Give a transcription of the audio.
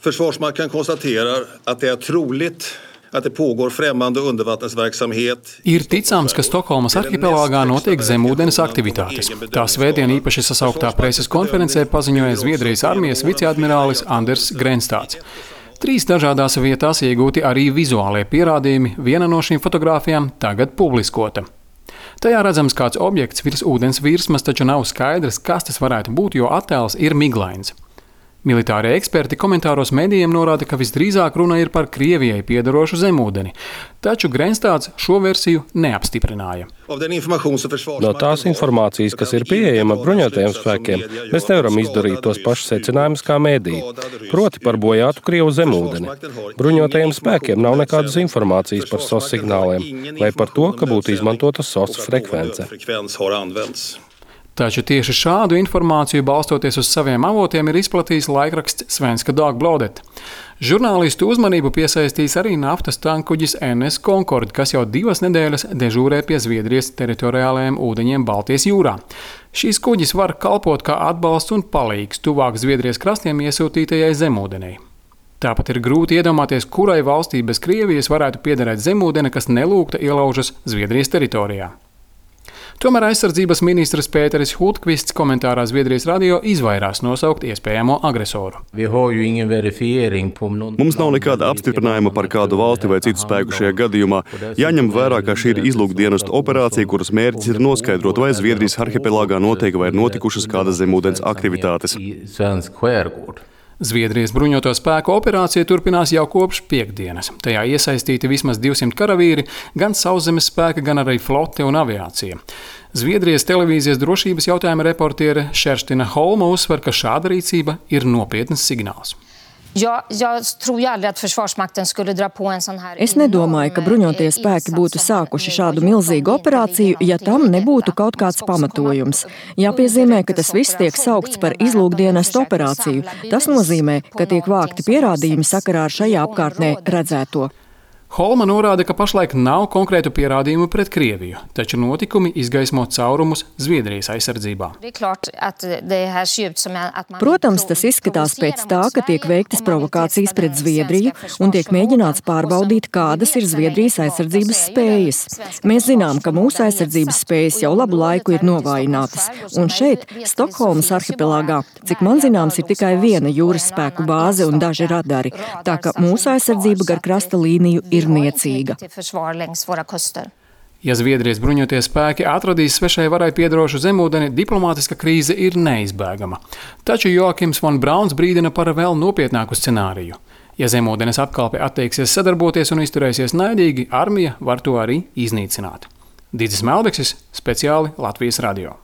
Försvarsmakten konstaterar att det är troligt att det pågår främmande undervattensverksamhet. Ir ticams, ka Stokholmas arhipelāgā notiek zemūdens aktivitātes. Tā svētdien īpaši sasauktā preses konferencē paziņoja Zviedrijas armijas viceadmirālis Anders Grenstāds. 3 dažādās vietās iegūti arī vizuālie pierādījumi, viena no šīm fotogrāfijām tagad publiskota. Tajā redzams kāds objekts virs ūdens virsmas, taču nav skaidrs, kas tas varētu būt, jo attēls ir miglains. Militārie eksperti komentāros medijiem norāda, ka visdrīzāk runa ir par Krievijai piedarošu zemūdeni, taču Grenstāds šo versiju neapstiprināja. No tās informācijas, kas ir pieejama bruņotajiem spēkiem, mēs nevaram izdarīt tos pašus secinājumus kā mediji, proti par bojātu Krievu zemūdeni. Bruņotajiem spēkiem nav nekādas informācijas par SOS signāliem vai par to, ka būtu izmantota SOS frekvence. Taču tieši šādu informāciju, balstoties uz saviem avotiem, ir izplatījis laikraksts Svenska Dagbladet. Žurnālistu uzmanību piesaistīs arī naftas tankkuģis NS Concorde, kas jau 2 nedēļas dežūrē pie Zviedrijas teritoriālajiem ūdeņiem Baltijas jūrā. Šīs kuģis var kalpot kā atbalsts un palīgs tuvāk Zviedrijas krastiem iesūtītajai zemūdenei. Tāpat ir grūti iedomāties, kurai valstī bez Krievijas varētu piederēt zemūdene, kas nelūgta ielaužas Zviedrijas teritorijā. Tomēr aizsardzības ministrs Pēteris Hultqvists komentārā Zviedrijas radio izvairās nosaukt iespējamo agresoru. Mums nav nekāda apstiprinājuma par kādu valsti vai citu spēku šajā gadījumā. Jāņem vērā, ka šī ir izlūkdienestu operācija, kuras mērķis ir noskaidrot, vai Zviedrijas arhipelāgā notiek vai ir notikušas kādas zemūdens aktivitātes. Zviedrijas bruņoto spēku operācija turpinās jau kopš piektdienas. Tajā iesaistīti vismaz 200 karavīri, gan sauszemes spēki, gan arī flote un aviācija. Zviedrijas televīzijas drošības jautājuma reportiere Kerstina Holma uzsver, ka šāda rīcība ir nopietnas signāls. Es nedomāju, ka bruņotie spēki būtu sākuši šādu milzīgu operāciju, ja tam nebūtu kaut kāds pamatojums. Jāpiezīmē, ka tas viss tiek saukts par izlūkdienestu operāciju. Tas nozīmē, ka tiek vākti pierādījumi sakarā ar šajā apkārtnē redzēto. Holma norāda, ka pašlaik nav konkrētu pierādījumu pret Krieviju, taču notikumi izgaismo caurumus Zviedrijas aizsardzībā. Protams, tas izskatās pēc tā, ka tiek veiktas provokācijas pret Zviedriju un tiek mēģināts pārbaudīt, kādas ir Zviedrijas aizsardzības spējas. Mēs zinām, ka mūsu aizsardzības spējas jau labu laiku ir novājinātas, un šeit, Stokholmas arhipelāgā, cik man zināms, ir tikai viena jūras spēku bāze un daži radari, tā ka mūsu aizsardzība gar krasta līniju ir niecīga. Ja Zviedrijas bruņotie spēki atradīs svešai varai piedarošu zemūdeni, diplomātiska krīze ir neizbēgama. Taču Joakims von Brauns brīdina par vēl nopietnāku scenāriju. Ja zemūdenes apkalpe atteiksies sadarboties un izturēsies naidīgi, armija var to arī iznīcināt. Didzis Melbeksis, speciāli Latvijas radio.